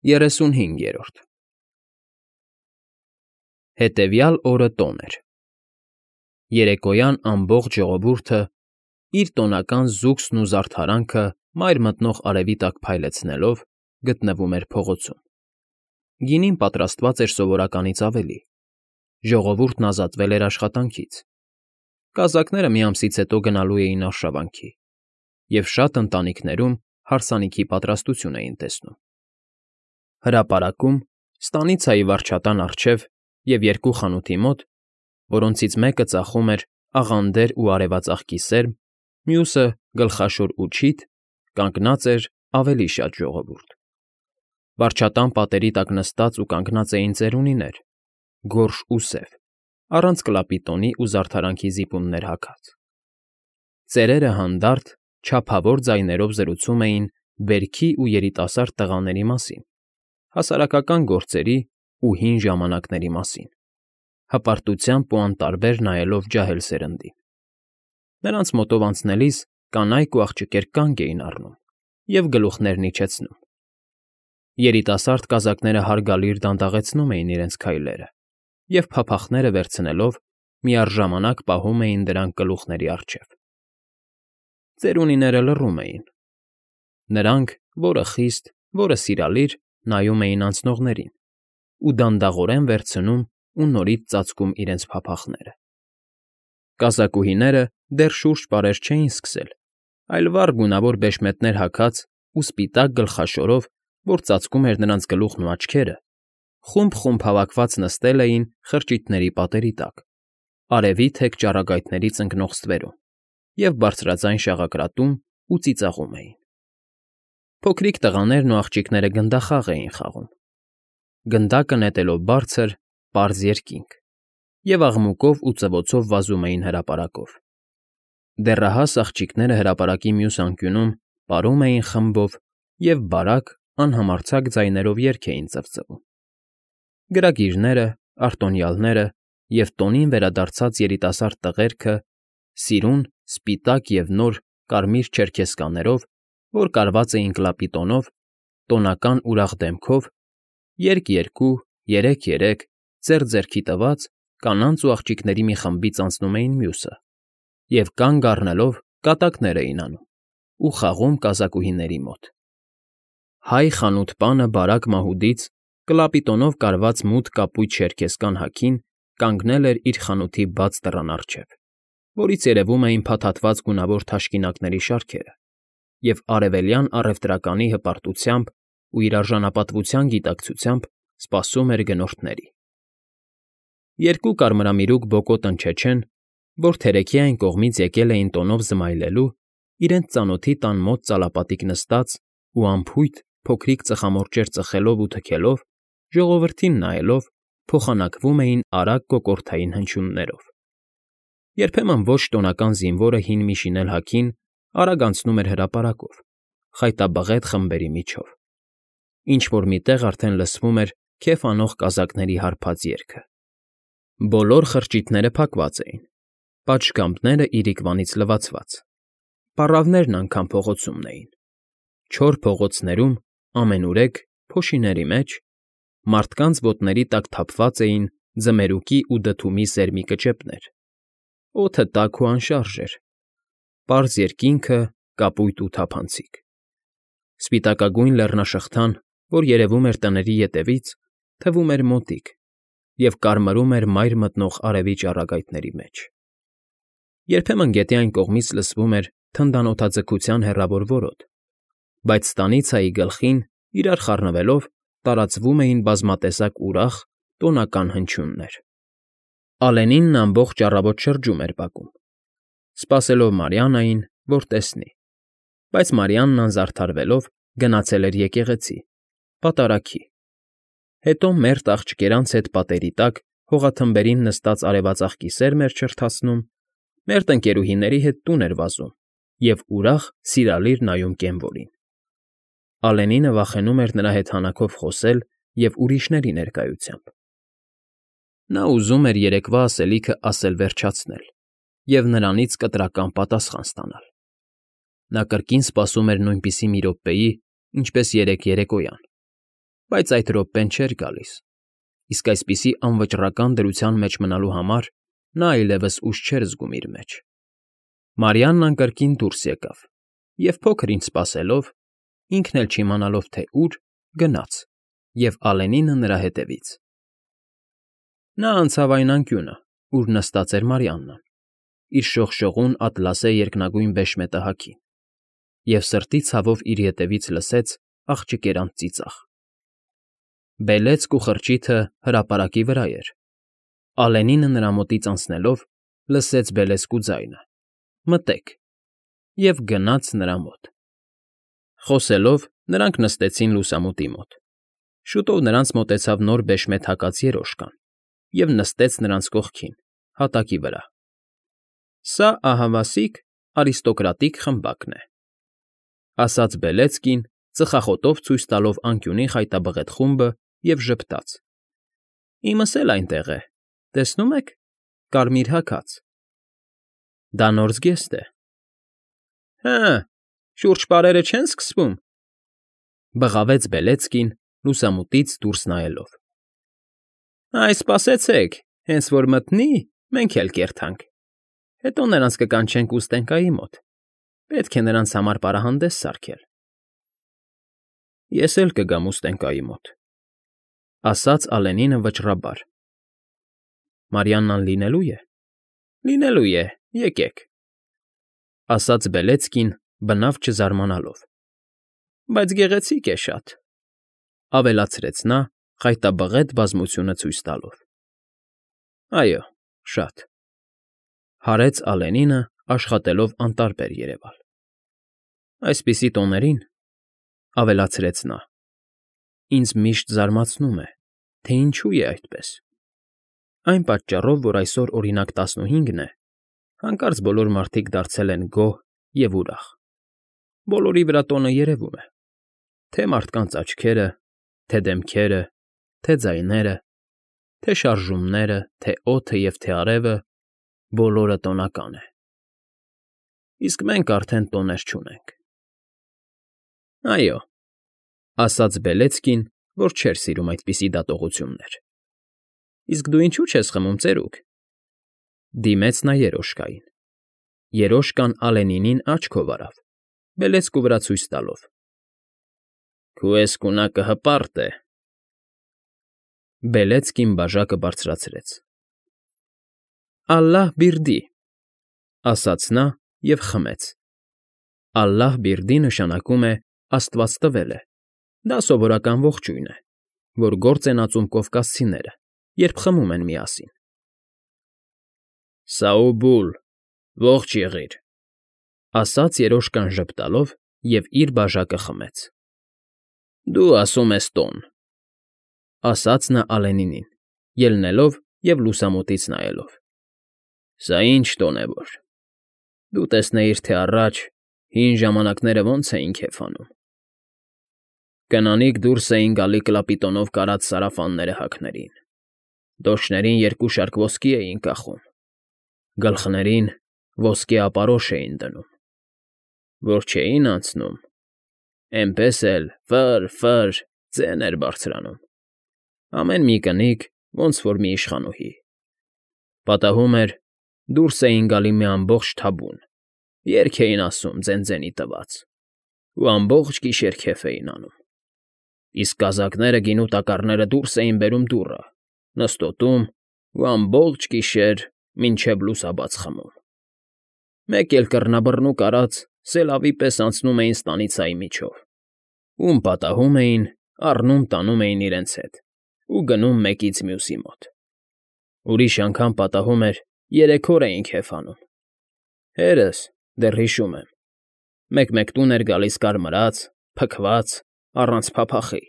35 Հետևյալ օրը տոն էր։ Երեկոյան ամբողջ ժողովուրդը, իր տոնական զուգսն ու զարդարանքը մայր մտնող արևի տակ փայլեցնելով, գտնվում էր փողոցում։ Գինին պատրաստված էր սովորականից ավելի։ Ժողովուրդն ազատվել էր աշխատանքից։ Կազակները մի ամսից հետո գնալու էին արշավանքի, և շատ ընտանիքներում հարսանիքի պատրաստություն էին տեսնում։ Հրապարակում, ստանիցայի վարչատան առջև և երկու խանութի մոտ, որոնցից մեկը ծախում էր աղանդեր ու արևածաղկի սերմ, մյուսը գլխաշոր ու չիթ, կանգնած էր ավելի շատ ժողովուրդ։ Վարչատան պատերի տակ նստած ու կանգնած էին ծերունիներ, գորշ ու սև, առանց կլապիտոնի ու զարդարանքի զիպումներ հագած։ Ծերերը հանդարտ, չափավոր ձայներով զրուցում էին բերքի ու երիտասարդ տղաների մասին, հասարակական գործերի ու հին ժամանակների մասին, հպարտությամբ ու անտարբեր նայելով ջահել սերնդին։ Նրանց մոտով անցնելիս կանայք ու աղջիկներ կանգ էին առնում և գլուխներն իջեցնում։ Երիտասարդ կազակները հարգալից դանդաղեցնում էին իրենց քայլերը և, փափախները վերցնելով, միառժամանակ պահում էին դրանք գլուխների առջև։ Ծերունիները լռում էին։ Նրանք, որը խիստ, որը սիրալիր, նայում էին անցնողներին ու դանդաղորեն վերցնում ու նորից ծածկում իրենց փափախները։ Կազակուհիները դեռ շուրջ֊պարեր չէին սկսել, այլ վառ գունավոր բեշմետներ հագած ու սպիտակ գլխաշորով, որ ծածկում էր նրանց գլուխն ու աչքերը, խումբ֊խումբ հավաքված նստել էին խրճիթների պատերի տակ, արևի թեք ճառագայթներից ընկնող ստվերում և բարձրաձայն շաղակրատում ու ծիծաղում էին։ Փոքրիկ տղաներն ու աղջիկները գնդախաղ էին խաղում, գնդակը նետելով բարձր, պարզ երկինք, և աղմուկով ու ծվոցով վազում էին հրապարակով։ Դեռահաս աղջիկները հրապարակի մյուս անկյունում պարում էին խմբով և բարակ, անհամարձակ ձայներով երգ էին ծվծվում։ Գրագիրները, արտոնյալները և տոնին վերադարձած երիտասարդ տղերքը, սիրուն, սպիտակ և նոր կարմիր չերքեսկաներով, որ կարված էին կլապիտոնով, տոնական ուրախ դեմքով, երկ֊երկու, երեք֊երեք, ձեռ֊ձեռքի տված, կանանց ու աղջիկների մի խմբից անցնում էին մյուսը և, կանգ առնելով, կատակներ էին անում ու խաղում կազակուհիների մոտ։ Հայ խանութ֊պանը բարակ մահուդից կլապիտոնով կարված մութ կապույտ չերքեսկան հագին կանգնել էր իր խանութի բաց դռան առջև, որից երևում էին փաթաթված գունավոր թաշկինակների շարքերը, և արևելյան առևտրականի հպարտությամբ ու իր արժանապատվության գիտակցությամբ սպասում էր գնորդների։ Երկու կարմրամիրուք բոկոտ ընչեչեն, որ թերեքի այն կողմից եկել էին տոնով զմայլելու, իրենց ծանոթի տան մոտ ծալապատիկ նստած ու անփույթ փոքրիկ ծխամորճեր ծխելով ու թքելով, ժողովրդին նայելով, փոխանակվում էին արագ կոկորդային հնչյուններով։ Երբեմն ոչ տոնական զինվորը հին մի շինել հագին արագ անցնում էր հրապարակով, խայտաբղետ խմբերի միջով։ Ինչ֊որ մի տեղ արդեն լսվում էր քեֆ անող կազակների հարբած երգը։ Բոլոր խրճիթները փակված էին, պատշգամբները իրիկվանից լվացված, պառավներն անգամ փողոցումն էին։ Չոր փողոցներում, ամենուրեք, փոշիների մեջ, մարդկանց ոտների տակ թափված էին ձմերուկի ու դդումի սերմի կճեպներ, օդը տաք ու անշարժ էր, պարզ երկինքը կապույտ ու թափանցիկ։ Սպիտակագույն լեռնաշղթան, որ երևում էր տների ետևից, թվում էր մոտիկ և կարմրում էր մայր մտնող արևի ճառագայթների մեջ։ Երբեմն գետի այն կողմից լսվում էր թնդանոթաձգության հեռավոր որոտ, բայց ստանիցայի գլխին, իրար խառնվելով, տարածվում էին բազմատեսակ ուրախ, տոնական հնչյուններ։ Ալենինն ամբողջ առավոտ շրջում էր բակում, սպասելով Մարիաննային, որ տեսնի, բայց Մարիաննան զարդարվելով գնացել էր եկեղեցի, պատարագի։ Հետո մերթ աղջկերանց հետ պատերի տակ հողաթմբերին նստած արևածաղկի սերմ էր չրթացնում, մերթ ընկերուհիների հետ տուն էր վազում և ուրախ, սիրալիր նայում կենվորին։ Ալենինը վախենում էր նրա հետ հանակով խոսել և ուրիշների ներկայությամբ։ Նա ուզում էր երեկվա ասելիքը ասել֊վերջացնել և նրանից կտրական պատասխան ստանալ։ Նա կրկին սպասում էր նույնպիսի մի րոպեի, ինչպես երեկ երեկոյան, բայց այդ րոպեն չէր գալիս, իսկ այսպիսի անվճռական դրության մեջ մնալու համար նա այլևս ուժ չէր զգում իր մեջ։ Մարիաննան կրկին դուրս եկավ և, փոքր-ինչ սպասելով, ինքն էլ չիմանալով, թե ուր, գնաց և Ալենինը նրա հետևից։ Նա անցավ այն անկյունը, ուր նստած էր Մարիաննան, իր շողշողուն ատլասե երկնագույն բեշմետահագին, և սրտի ցավով իր ետևից լսեց աղջկերանց ծիծաղ։ Բելեծք ու խրճիթը հրապարակի վրա էր։ Ալենինը նրա մոտից անցնելով լսեց բելեծկու ձայնը. «Մտե՛ք» և գնաց նրա մոտ։ Խոսելով՝ նրանք նստեցին լուսամուտի մոտ։ Շուտով նրանց մոտեցավ նոր բեշմետ հագած երոշկան և նստեց նրանց կողքին, հատակի վրա։ «Սա ահավասիկ, արիստոկրատիկ խմբակն է», ֊ ասաց Բելեծկին, ծխախոտով ցույց տալով անկյունի խայտաբղետ խումբը և ժպտաց. «Իմս էլ այնտեղ է, տեսնու՞մ եք, կարմիր հագած»։ «Դա նոր զգեստ է»։ «Հը, շուրջպարերը չե՞ն սկսվում», ֊ բղավեց Բելեծկին՝ լուսամուտից դուրս նայելով։ «Այ սպասեցեք, հենց որ մտնի, մենք էլ կերթանք, հետո նրանց կկանչենք ուստենկայի մոտ, պետք է նրանց համար պարահանդես սարքել»։ «Ես էլ կգամ ուստենկայի մոտ», ֊ ասաց Ալենինը վճռաբար։ «Մարիաննան լինելո՞ւ է»։ «Լինելու է, եկեք», ֊ ասաց Բելեծկին, բնավ չզարմանալով։ «Բայց գեղեցիկ է շատ», ֊ ավելացրեց նա՝ խայտաբղետ բազմությունը ցույց տալով։ «Այո, շատ», ֊ հարեց Ալենինը, աշխատելով անտարբեր երևալ։ «Այսպիսի տոներին», ֊ ավելացրեց նա, ֊ ինձ միշտ զարմացնում է, թե ինչու է այդպես։ Այն պատճառով, որ այսօր, օրինակ, 15-ն է, հանկարծ բոլոր մարդիկ դարձել են գոհ և ուրախ։ Բոլորի վրա տոնը երևում է. թե մարդկանց աչքերը, թե դեմքերը, թե ձայները, թե շարժումները, թե օդը և թե արևը, բոլորը տոնական է։ Իսկ մենք արդեն տոներ չունենք»։ «Այո», ֊ ասաց Բելեծկին, որ չէր սիրում այդպիսի դատողություններ։ «Իսկ դու ինչու՞ չես խմում, ծերուկ»։ Դիմեց նա երոշկային։ Երոշկան Ալենինին աչքով արավ, բելեծկու վրա ցույց տալով։ «Քո էսկունակը հպարտ է»։ Բելեծկին բաժակը բարձրացրեց։ «Ալլահ֊բիրդի», ֊ ասաց նա և խմեց։ Ալլահ֊բիրդի նշանակում է «Աստված տվել է», դա սովորական ողջույն է, որ գործ են ածում կովկասցիները, երբ խմում են միասին։ «Սաուբուլ, ողջ եղիր», ֊ ասաց երոշկան ժպտալով և իր բաժակը խմեց։ «Դու ասում ես տոն», ֊ ասաց նա Ալենինին, ելնելով և լուսամուտից նայելով։ «Սա ինչ տոն է որ։ Դու տեսնեիր, թե առաջ, հին ժամանակները ոնց էին քեֆ անում։ Կնանիք դուրս էին գալի կլապիտոնով կարած սարավանները հագներին, դոշներին երկու շարք ոսկի էին կախում, գլխներին ոսկե ապարոշ էին դնում, որ չէին անցնում, էնպես էլ ֆը՜ր֊ֆը՜ր ձեն էր բարձրանում, ամեն մի կնիկ, ոնց որ մի իշխանուհի։ Պատահում էր, դուրս էին գալի մի ամբողջ թաբուն, երգ էին ասում ձեն֊ձենի տված, ու ամբողջ գիշեր քեֆ էին անում։ Իսկ կազակները, գինու տակառները դուրս էին բերում դուռը, նստոտում ու ամբողջ գիշեր մինչև լուսաբաց խմում։ Մեկ էլ կռնաբռնուկ արած սելավի պես անցնում էին ստանիցայի միջով, ում պատահում էին, առնում֊տանում էին իրենց հետ ու գնում մեկից մյուսի մոտ։ Ուրիշ անգամ պատահում էր, 3 օր էին քեֆ անում։ Հերս, դեռ հիշում եմ, մեկ-մեկ տուն էր գալիս կարմրած, փքված, առանց փափախի,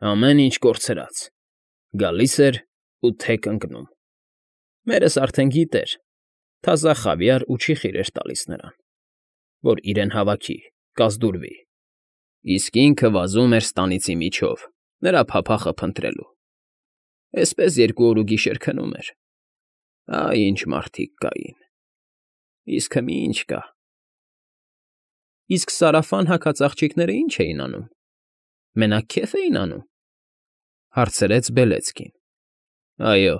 ամեն ինչ կորցրած, գալիս էր ու թեք ընկնում։ Մերս արդեն գիտեր, թազա խավիար ու չիխիր էր տալիս նրան, որ իրեն հավաքի, կազդուրվի, իսկ ինքը վազում էր ստանիցի միջով, նրա փափախը փնտրելու։ Էսպես 2 օր ու գիշեր քնում էր։ Այ ինչ մարդիկ կային։ Իսկ հիմա ինչ կա։ Իսկ սարավան հագած աղջիկները ի՞նչ էին անում։ Մենակ քեֆ էին անում։ Հարցրեց Բելեցկին։ Այո,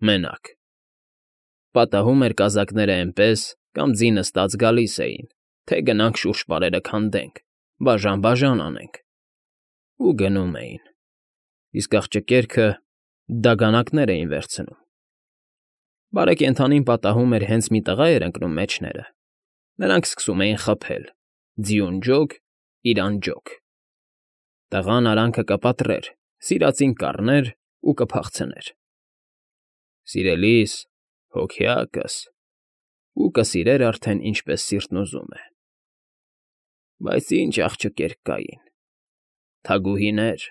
մենակ։ Պատահում էր կազակները էնպես կամ ձի նստած գալիս էին, թե գնանք շուրջպարերը քանդենք, բաժան֊բաժան անենք։ Ու գնում էին։ Իսկ աղջկերքը դագանակներ էին վերցնում։ Բարեկենդանին պատահում էր հենց մի տղա էր ընկնում մեջները, նրանք սկսում էին խփել. ձիուն ջոկ, իրան ջոկ։ Տղան արանքը կպատրեր, սիրածին կառներ ու կփախցներ։ Սիրելիս, հոգյակս, ու կսիրեր արդեն ինչպես սիրտն ուզում է։ Բայց ինչ աղջկեր կային, թագուհիներ,